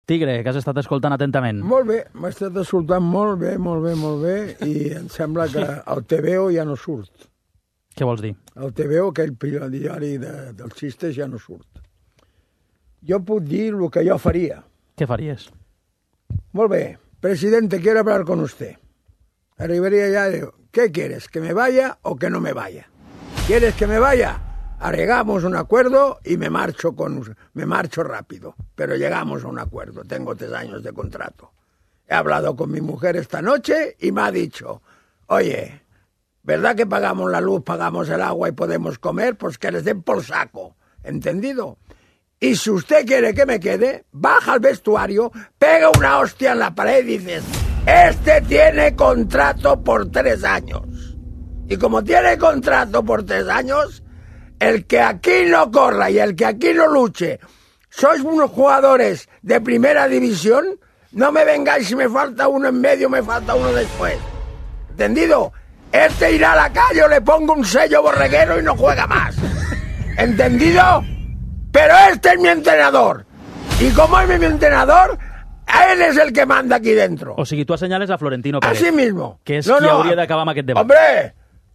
Tigre, que has estat escoltant atentament. Molt bé, m'ha estat escoltant molt bé, i em sembla que el TVO ja no surt. Què vols dir? El TVO, aquell diari dels xistes, ja no surt. Jo puc dir el que jo faria. Què faries? Molt bé, presidente, quiero hablar con usted. Arribaría ya y digo, ¿qué quieres? ¿Que me vaya o que no me vaya? ¿Quieres que me vaya? Arreglamos un acuerdo y me marcho rápido, pero llegamos a un acuerdo. Tengo 3 años de contrato. He hablado con mi mujer esta noche y me ha dicho, oye, ¿verdad que pagamos la luz, pagamos el agua y podemos comer? Pues que les den por saco, ¿entendido? Y si usted quiere que me quede, baja al vestuario, pega una hostia en la pared y dices, este tiene contrato por 3 años. Y como tiene contrato por 3 años... El que aquí no corra y el que aquí no luche, sois unos jugadores de primera división, no me vengáis si me falta uno en medio, me falta uno después. ¿Entendido? Este irá a la calle o le pongo un sello borreguero y no juega más. ¿Entendido? Pero este es mi entrenador. Y como es mi entrenador, él es el que manda aquí dentro. O sigui, tu assenyales a Florentino Pérez. Así mismo. Que és qui hauria d'acabar amb aquest debat.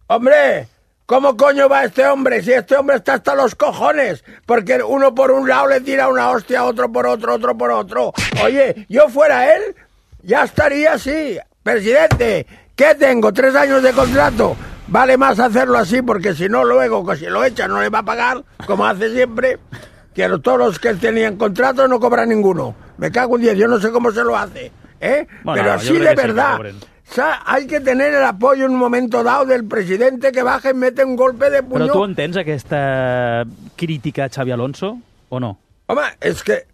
¡Hombre! ¿Cómo coño va este hombre? Si este hombre está hasta los cojones. Porque uno por un lado le tira una hostia, otro por otro, otro por otro. Oye, yo fuera él, ya estaría así. Presidente, ¿qué tengo? 3 años de contrato. Vale más hacerlo así, porque si no, luego, que si lo echan, no le va a pagar, como hace siempre. Que todos los que tenían contrato no cobran ninguno. Me cago en 10, yo no sé cómo se lo hace. Bueno, pero así de verdad. O sea, hay que tener el apoyo en un momento dado del presidente que baja y mete un golpe de puño. Però tu entens aquesta crítica a Xavi Alonso o no? Home, és que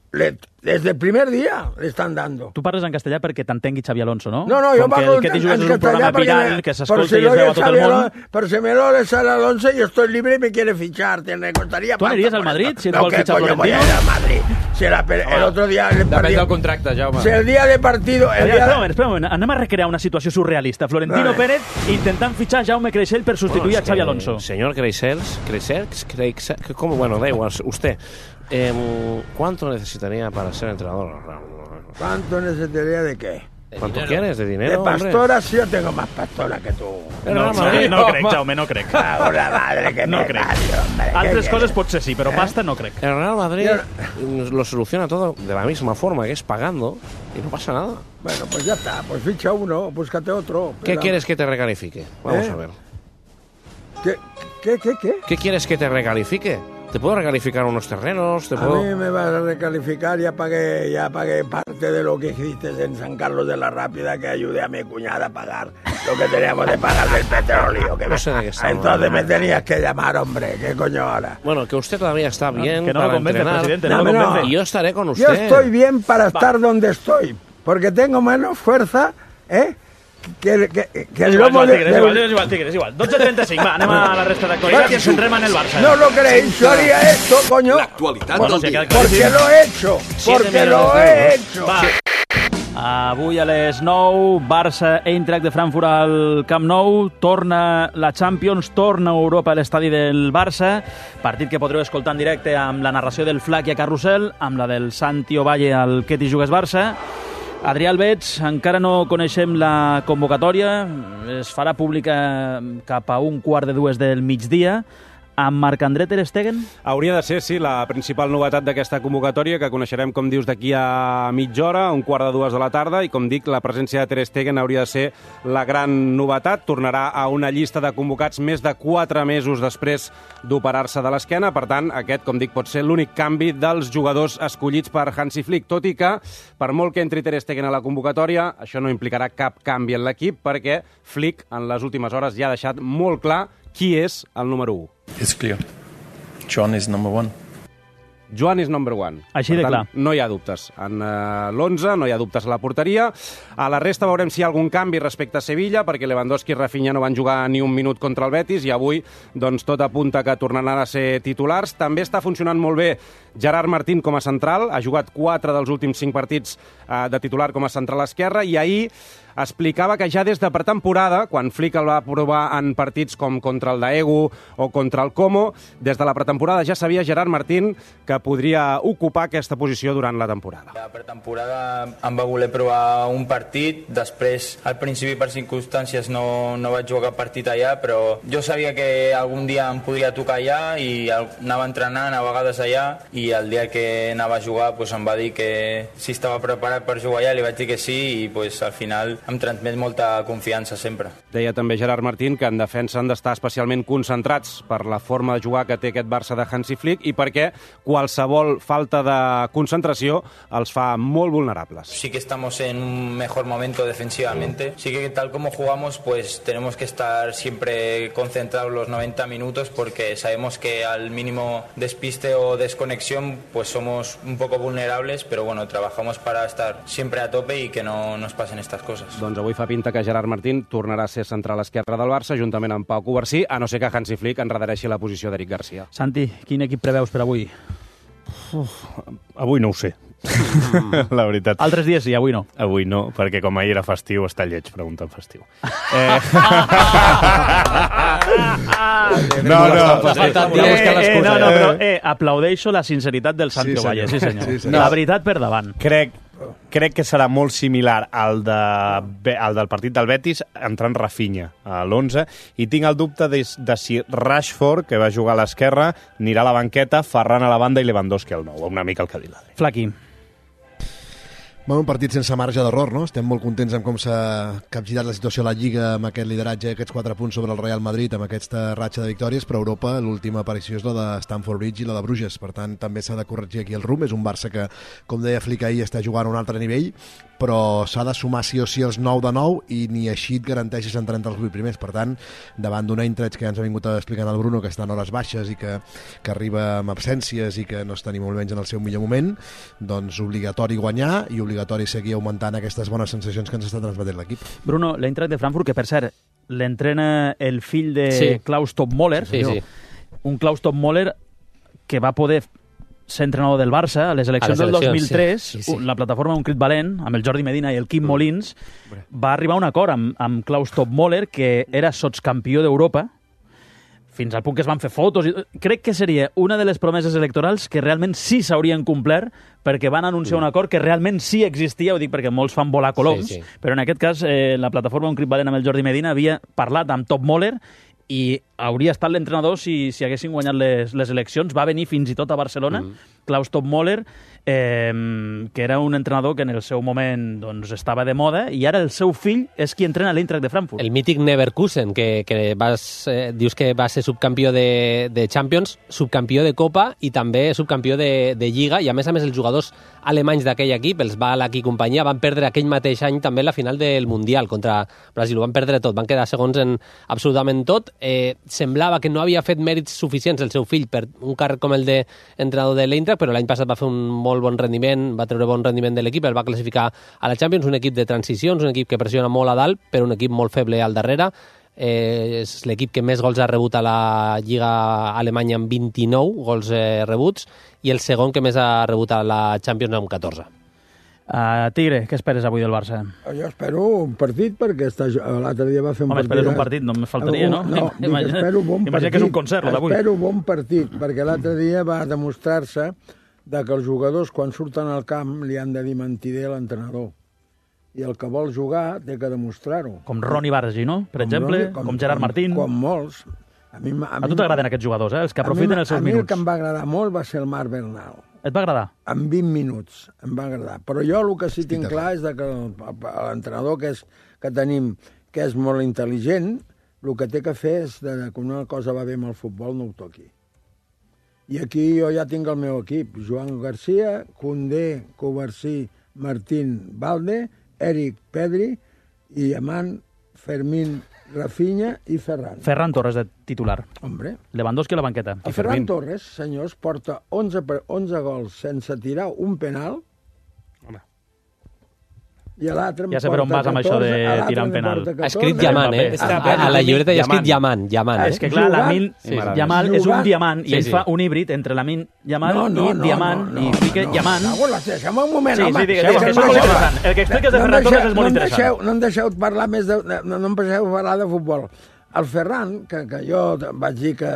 desde el primer día le están dando. Tu parles en castellà perquè t'entengui Xavi Alonso, no? No, jo parlo en castellà que s'escolta i es veu a tot el món. Pero si me lo sale Alonso, yo estoy libre y me quiere fichar. Me costaría. ¿Tú aniries al Madrid si et vol fitxar Florentino? Voy a ir al Madrid. Si el otro día... Depèn del contracte, Jaume. Si el día de partido... Espera un moment. Anem a recrear una situació surrealista. Florentino Pérez intentant fitxar Jaume Creixell per substituir a Xavi Alonso. Señor Creixell, ¿cómo? Bueno, da igual, usted. ¿Cuánto necesitaría para ser entrenador? ¿Cuánto necesitaría de qué? ¿Cuánto quieres? ¿De dinero? De pastora, sí, yo tengo más pastora que tú. No crec, Jaume, no crec. Una madre que no crec. Altres coses potser sí, però pasta no crec. El Real Madrid lo soluciona todo de la misma forma, que es pagando, y no pasa nada. Bueno, pues ya está, pues ficha uno, búscate otro. ¿Qué quieres que te recalifique? Vamos a ver. ¿Qué? ¿Qué quieres que te recalifique? ¿Te puedo recalificar unos terrenos? A mí me vas a recalificar, ya pagué parte de lo que hiciste en San Carlos de la Rápida, que ayudé a mi cuñada a pagar lo que teníamos de pagar del petróleo. No sé de qué estamos. Entonces me tenías que llamar, hombre, ¿qué coño ahora? Bueno, que usted todavía está bien que no para lo convence, entrenar. presidente, no lo convence. Y yo estaré con usted. Yo estoy bien para estar donde estoy, porque tengo menos fuerza, que el lomo de... És igual. 12:35, va, anem a la resta d'actualitat i ens centrem en el Barça. No lo creéis, yo haría esto, coño. L'actualitat del dia. Porque lo he hecho, porque lo he hecho. Va. Avui a les 9, Barça Eintracht de Frankfurt al Camp Nou, torna la Champions, torna Europa a l'estadi del Barça, partit que podreu escoltar en directe amb la narració del Flac i a Carrusel, amb la del Santi Ovalle al Què t'hi jugues Barça. Adrià Albets, encara no coneixem la convocatòria, es farà pública cap a 1:15 del migdia. Amb Marc-André Ter Stegen? Hauria de ser, sí, la principal novetat d'aquesta convocatòria, que coneixerem, com dius, d'aquí a mitja hora, 1:15 de la tarda, i com dic, la presència de Ter Stegen hauria de ser la gran novetat. Tornarà a una llista de convocats més de 4 mesos després d'operar-se de l'esquena. Per tant, aquest, com dic, pot ser l'únic canvi dels jugadors escollits per Hansi Flick, tot i que, per molt que entri Ter Stegen a la convocatòria, això no implicarà cap canvi en l'equip, perquè Flick, en les últimes hores, ja ha deixat molt clar qui és el número 1. It's clear. Joan is number 1. Joan is number 1. Així de clar. No hi ha dubtes. En l'11 no hi ha dubtes a la porteria. A la resta veurem si hi ha algun canvi respecte a Sevilla, perquè Lewandowski i Rafinha no van jugar ni un minut contra el Betis i avui doncs, tot apunta que tornaran a ser titulars. També està funcionant molt bé Gerard Martín com a central. Ha jugat 4 dels últims 5 partits de titular com a central esquerre i ahir explicava que ja des de pretemporada, quan Flick el va provar en partits com contra el Daegu o contra el Como, des de la pretemporada ja sabia Gerard Martín que podria ocupar aquesta posició durant la temporada. La pretemporada em va voler provar un partit, després al principi per circumstàncies no vaig jugar cap partit allà, però jo sabia que algun dia em podria tocar allà i anava entrenant a vegades allà i el dia que anava a jugar pues, em va dir que si estava preparat per jugar allà, li vaig dir que sí i pues, al final em transmet molta confiança sempre. Deia també Gerard Martín que en defensa han d'estar especialment concentrats per la forma de jugar que té aquest Barça de Hansi Flick i perquè qualsevol falta de concentració els fa molt vulnerables. Sí que estamos en un mejor momento defensivamente. Sí que tal como jugamos, pues tenemos que estar siempre concentrados los 90 minutos porque sabemos que al mínimo despiste o desconexión pues somos un poco vulnerables, pero bueno, trabajamos para estar siempre a tope y que no nos pasen estas cosas. Doncs avui fa pinta que Gerard Martín tornarà a ser central esquerre del Barça juntament amb Pau Covarsí, a no ser que Hansi Flick enredareixi la posició d'Eric Garcia. Santi, quin equip preveus per avui? Avui no ho sé. La veritat. Altres dies sí, avui no. Avui no, perquè com ahir era festiu, està lleig, pregunta en festiu. No, però aplaudeixo la sinceritat del Santi Ovalle, sí senyor. Sí, la veritat per davant. Crec que serà molt similar al del partit del Betis, entrant Rafinha a l'11, i tinc el dubte de si Rashford, que va jugar a l'esquerra, anirà a la banqueta, Ferran a la banda i Lewandowski al 9, una mica el que ha dit l'Adri. Flaqui. Un partit sense marge d'error, no? Estem molt contents amb com s'ha capgirat la situació a la Lliga, amb aquest lideratge, aquests 4 punts sobre el Real Madrid, amb aquesta ratxa de victòries, però a Europa l'última aparició és la de Stamford Bridge i la de Bruges, per tant també s'ha de corregir aquí el rumb. És un Barça que, com deia Flick ahir, està jugant a un altre nivell, però s'ha de sumar sí o sí els 9 de 9 i ni així et garanteixes entrar entre els 8 primers. Per tant, davant d'un Eintracht que ja ens ha vingut explicant el Bruno, que està en hores baixes i que arriba amb absències i que no està ni molt menys en el seu millor moment, doncs obligatori guanyar i obligatori seguir augmentant aquestes bones sensacions que ens està transmetent l'equip. Bruno, l'Eintracht de Frankfurt, que per cert, l'entrena el fill de Klaus Toppmöller, un Klaus Toppmöller que va poder ser entrenador del Barça a les eleccions del 2003, la plataforma Un Crit Valent, amb el Jordi Medina i el Quim Molins, va arribar a un acord amb Klaus Toppmöller, que era sotscampió d'Europa, fins al punt que es van fer fotos. Crec que seria una de les promeses electorals que realment sí s'haurien complert, perquè van anunciar un acord que realment sí existia, ho dic perquè molts fan volar coloms, però en aquest cas la plataforma Un Crit Valent amb el Jordi Medina havia parlat amb Toppmöller i hauria estat l'entrenador si haguessin guanyat les eleccions. Va venir fins i tot a Barcelona, Klaus Toppmöller, que era un entrenador que en el seu moment doncs, estava de moda, i ara el seu fill és qui entrena l'Eintracht de Frankfurt. El mític Leverkusen, que dius que va ser subcampió de Champions, subcampió de Copa i també subcampió de Lliga, i a més els jugadors alemanys d'aquell equip, els Ballack i companyia, van perdre aquell mateix any també la final del Mundial contra Brasil. Ho van perdre tot, van quedar segons en absolutament tot. Semblava que no havia fet mèrits suficients el seu fill per un càrrec com el d'entrenador de l'Eintracht, però l'any passat va fer un molt bon rendiment, va treure bon rendiment de l'equip, el va classificar a la Champions, un equip de transicions, un equip que pressiona molt a dalt, però un equip molt feble al darrere. És l'equip que més gols ha rebut a la Lliga Alemanya amb 29 gols rebuts, i el segon que més ha rebut a la Champions amb 14. Tigre, què esperes avui del Barça? Jo espero un partit, perquè l'altre dia va fer un partit... Esperes un partit, no me faltaria, no? Espero un bon partit. Imagina que és un concert, d'avui. Espero un bon partit, perquè l'altre dia va demostrar-se que els jugadors, quan surten al camp, li han de dir mentider a l'entrenador. I el que vol jugar té que demostrar-ho. Com Ronny Bargi, no? Per exemple, com Gerard Martín. Com molts. A tu t'agraden aquests jugadors, els que aprofiten els seus minuts. A mi el que em va agradar molt va ser el Marc Bernal. Et va agradar? En 20 minuts em va agradar. Però jo el que sí tinc clar és que l'entrenador que tenim, que és molt intel·ligent, el que té que fer és que una cosa va bé amb el futbol, no ho toqui. I aquí jo ja tinc el meu equip. Joan Garcia, Koundé, Covarsí, Martín, Valde, Eric, Pedri i Amant, Fermín, Rafinha i Ferran. Ferran Torres de titular. Hombre. Lewandowski a la banqueta. El Ferran Torres, senyors, porta 11 gols sense tirar un penal. I l'altre Ja sé per on vas amb això de tirar un penal. Ha escrit diamant, A la llibreta hi ha escrit diamant. És que, clar, Lamine Yamal és un diamant i ell fa un híbrid entre Lamine Yamal i diamant i fica diamant. Deixa'm un moment, home. Sí, digues, és molt interessant. El que expliques de Ferran Torres és molt interessant. No em deixeu parlar més no em deixeu parlar de futbol. El Ferran, que jo vaig dir que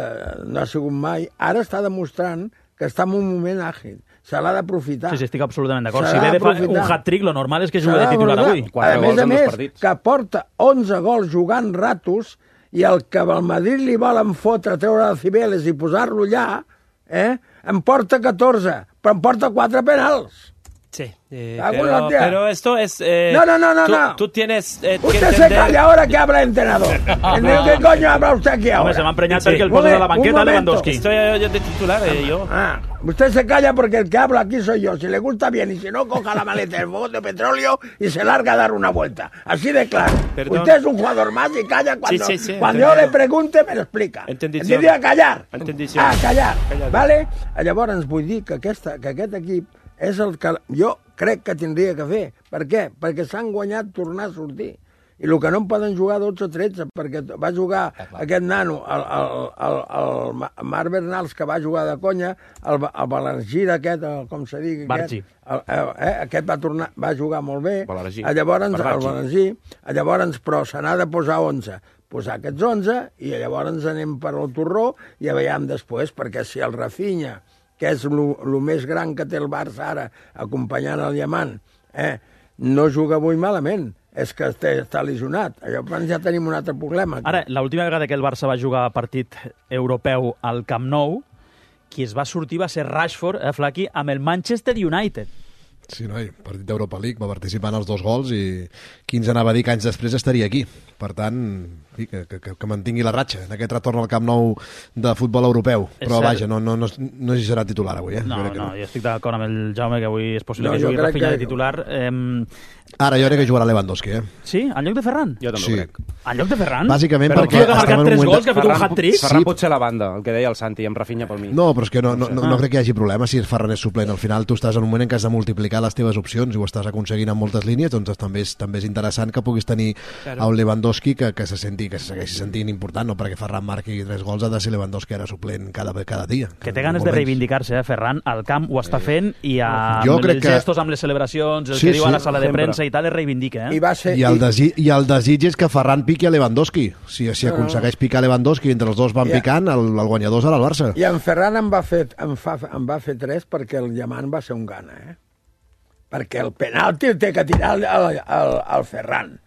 no ha sigut mai, ara està demostrant que està en un moment àgil. Se l'ha d'aprofitar. Sí, estic absolutament d'acord. Si ve de fer un hat-trick, lo normal és que jugui de titular avui. A més, que porta 11 gols jugant ratos i el que al Madrid li volen fotre, treure de Cibeles i posar-lo allà, en porta 14, però en porta 4 penals. Sí, pero esto es... No. Tú tienes usted se calla ahora que habla el entrenador. ¿Qué coño habla usted aquí ahora? Hombre, se m'ha emprenyat perquè el poses a la banqueta Lewandowski. Estoy yo de titular, yo. Usted se calla porque el que habla aquí soy yo. Si le gusta bien y si no, coja la maleta del bote de petróleo y se larga a dar una vuelta. Así de claro. Perdón. Usted es un jugador más y calla cuando, sí, cuando yo le pregunte me lo explica. Entendició. Em diria callar. Entendició. Callar. Vale? Llavors vull dir que aquest equip és el que jo crec que tindria que fer. Per què? Perquè s'han guanyat tornar a sortir. I el que no en poden jugar 12 o 13, perquè va jugar aquest nano, el Marc Bernals, que va jugar de conya, el Balargira aquest, com se digui, aquest va jugar molt bé, llavors, però se n'ha de posar 11. Posar aquests 11 i llavors anem per al torró i ja veiem després, perquè si el Rafinha, que és el més gran que té el Barça ara, acompanyant el Diamant, no juga avui malament, és que està lesionat. Llavors ja tenim un altre problema. Ara, l'última vegada que el Barça va jugar partit europeu al Camp Nou, qui es va sortir va ser Rashford, Flaqui, amb el Manchester United. Sí, noi, partit d'Europa League, va participar en els 2 gols i qui ens anava a dir que anys després estaria aquí. Per tant, que mantingui la ratxa en aquest retorn al Camp Nou de futbol europeu. Però vaja, no hi serà titular avui. No, jo estic d'acord amb el Jaume que avui és possible que jugui Rafinha de titular. Ara jo crec que jugarà Lewandowski, Sí? En lloc de Ferran? Jo també ho crec. En lloc de Ferran? Bàsicament però perquè... Però que ha marcat 3 gols, que ha fet un hat-trick? Ferran pot ser la banda, el que deia el Santi, amb Rafinha pel mig. No, però és que no crec que hi hagi problema si Ferran és suplent. Al final tu estàs en un moment en què has de multiplicar les teves opcions i ho estàs aconseguint en moltes línies, doncs també és interessant que puguis tenir a un Lewandowski que se segueixi sentint important, no perquè Ferran marqui 3 gols, ha de ser Lewandowski ara suplent cada dia. Que té ganes de reivindicar-se, Ferran, al camp ho està fent i amb els gestos, amb les celebracions, el que diu a la sala de premsa i tal, es reivindica. I el desig és que Ferran piqui a Lewandowski. Si aconsegueix picar Lewandowski entre els dos van picant, el guanyador serà el Barça. I en Ferran em va fer 3 perquè el Diamant va ser un gana, perquè el penalti el té que tirar el Ferran.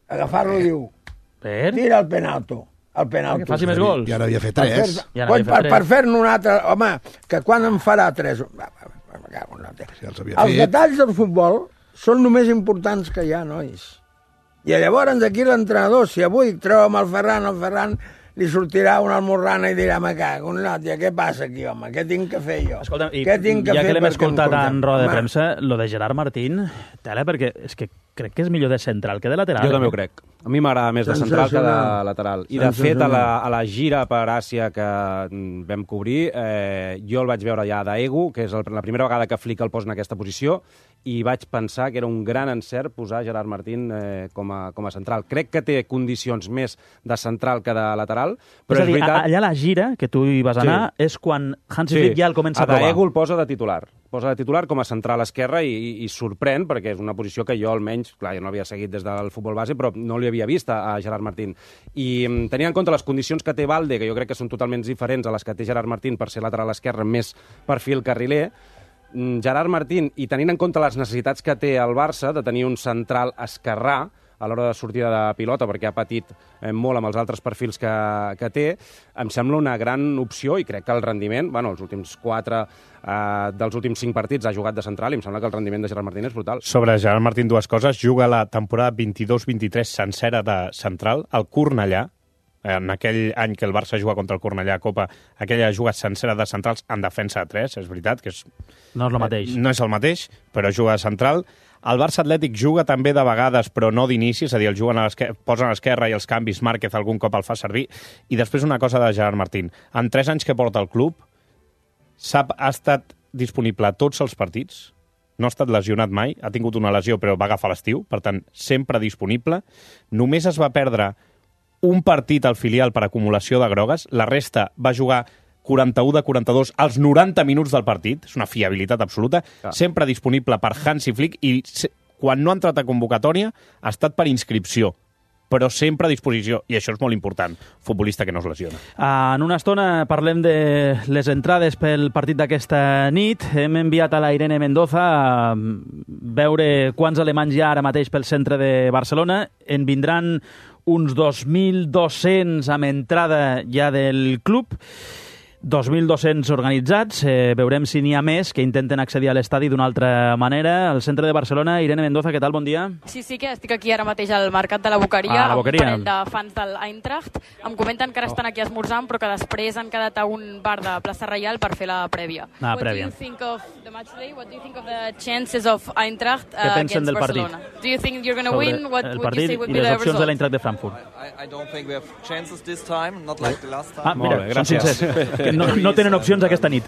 Agafar-lo diu, tira el penalti. Que faci més gols. I ara havia fet 3. Per fer-ne un altre... Home, que quan en farà 3? Els detalls del futbol són només importants que hi ha, nois. I llavors aquí l'entrenador, si avui treu amb el Ferran li sortirà una almorrana i dirà, me cago en l'òtia, què passa aquí, home? Què tinc que fer jo? Escolta'm, ja que l'hem escoltat en roda de premsa, lo de Gerard Martín, tela, perquè és que crec que és millor de central que de lateral. Jo també ho crec. A mi m'agrada més de central que de lateral. I, de fet, a la gira per Àsia que vam cobrir, jo el vaig veure ja d'Ego, que és la primera vegada que Flick el posa en aquesta posició, i vaig pensar que era un gran encert posar Gerard Martín com a central. Crec que té condicions més de central que de lateral, però és veritat... Allà a la gira, que tu hi vas anar, és quan Hansi Flick ja el comença a provar. A Ego el posa de titular. Posa de titular com a central esquerra i sorprèn, perquè és una posició que jo almenys, clar, jo no havia seguit des del futbol base, però no li havia vist a Gerard Martín. I tenint en compte les condicions que té Balde, que jo crec que són totalment diferents a les que té Gerard Martín per ser lateral esquerre més perfil carriler, Gerard Martín, i tenint en compte les necessitats que té el Barça de tenir un central esquerrà a l'hora de sortida de pilota, perquè ha patit molt amb els altres perfils que té, em sembla una gran opció i crec que el rendiment, els últims 4 dels últims 5 partits ha jugat de central i em sembla que el rendiment de Gerard Martín és brutal. Sobre Gerard Martín, 2 coses. Juga la temporada 22-23 sencera de central, al Cornellà. En aquell any que el Barça juga contra el Cornellà a Copa, aquella juga sencera de centrals en defensa de 3, és veritat que no és el mateix. No és el mateix, però juga de central. El Barça Atlètic juga també de vegades, però no d'inici, és a dir, el juguen posen a l'esquerra i els canvis Márquez algun cop el fa servir. I després una cosa de Gerard Martín. En 3 anys que porta el club, ha estat disponible a tots els partits no ha estat lesionat mai, ha tingut una lesió però va agafar l'estiu, per tant, sempre disponible. Només es va perdre un partit al filial per acumulació de grogues, la resta va jugar 41 de 42 als 90 minuts del partit, és una fiabilitat absoluta, sempre disponible per Hansi Flick i quan no ha entrat a convocatòria ha estat per inscripció, però sempre a disposició, i això és molt important, futbolista que no es lesiona. En una estona parlem de les entrades pel partit d'aquesta nit. Hem enviat a la Irene Mendoza a veure quants alemanys hi ha ara mateix pel centre de Barcelona. En vindran uns 2.200 amb entrada ja del club, 2.200 organitzats. Veurem si n'hi ha més que intenten accedir a l'estadi d'una altra manera. Al centre de Barcelona, Irene Mendoza, què tal? Bon dia. Sí, que estic aquí ara mateix al Mercat de la Boqueria, amb un parell de fans del Eintracht. Em comenten que ara estan aquí esmorzant, però que després han quedat a un bar de Plaça Reial per fer la prèvia. What do you think of the match today? What do you think of the chances of Eintracht against Barcelona? Do you think you're going to win? What would you say would be the result? I les opcions de l'Eintracht de Frankfurt. I don't think we have chances this time, not like the last time. Mira, són sincers. No tenen opcions aquesta nit.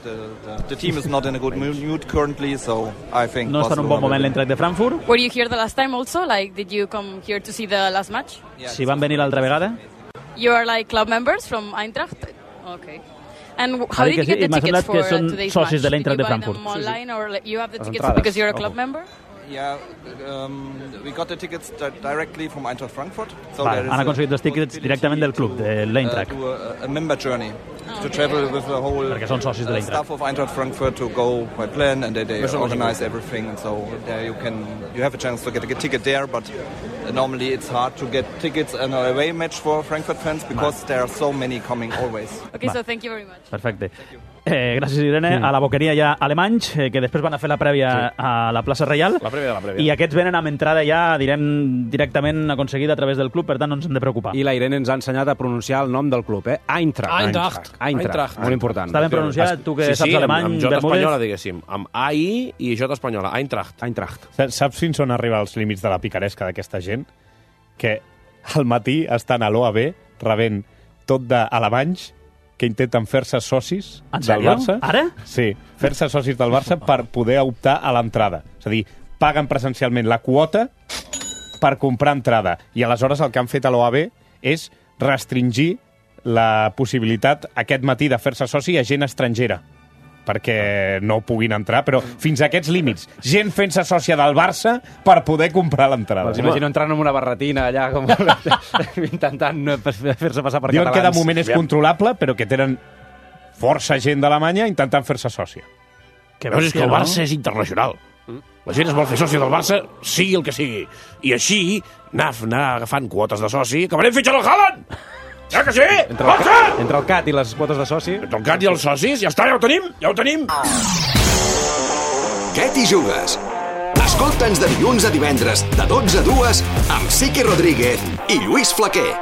The team is not in a good mood currently, so I think no està en un bon moment l'Eintracht de Frankfurt. Were you here the last time also? Like, did you come here to see the last match? Si van venir l'altra vegada. You are like club members from Eintracht? Okay. And how did you get the tickets for today's match? Socis de l'Eintracht de Frankfurt. Did you buy them online or you have the tickets because you're a club member? Yeah, we got the tickets directly from Eintracht Frankfurt. So han aconseguit els tickets directament del club, de l'Eintracht. A member journey to travel with the whole staff of Eintracht Frankfurt to go by plan, and they organize everything, and so there you have a chance to get a ticket there, but normally it's hard to get tickets in an away match for Frankfurt fans because there are so many coming always. Okay, so thank you very much. Perfecte. Gràcies, Irene. A la Boqueria hi ha alemanys que després van a fer la prèvia a la plaça Reial. La prèvia de la prèvia. I aquests venen amb entrada ja, direm, directament aconseguida a través del club, per tant no ens hem de preocupar. I la Irene ens ha ensenyat a pronunciar el nom del club, Eintracht. Molt important. Està ben pronunciat, tu que saps alemany, amb J espanyola, diguéssim. Amb AI i J espanyola. Eintracht. Saps fins on arriba els límits de la picaresca d'aquesta gent? Que al matí estan a l'OAB rebent tot d'alemanys que intenten fer-se socis del Barça. Ara? Sí, fer-se socis del Barça per poder optar a l'entrada. És a dir, paguen presencialment la quota per comprar entrada. I aleshores el que han fet a l'OAB és restringir la possibilitat aquest matí de fer-se soci a gent estrangera perquè no puguin entrar, però fins a aquests límits. Gent fent-se sòcia del Barça per poder comprar l'entrada. Els imagino entrant en una barretina allà com intentant fer-se passar per catalans. Diuen que de moment és controlable, però que tenen força gent d'Alemanya intentant fer-se sòcia. Que veus, és que el Barça és internacional. La gent es vol fer sòcia del Barça, sigui el que sigui. I així, anar agafant quotes de soci, acabarem fitxant el Haaland! Ja que sí! Entre el CAT i les quotes de soci. Entre el CAT i els socis, ja està, ja ho tenim! Què t'hi jugues? Escolta'ns de dilluns a divendres, de 12 a 2, amb Sique Rodríguez i Lluís Flaquer.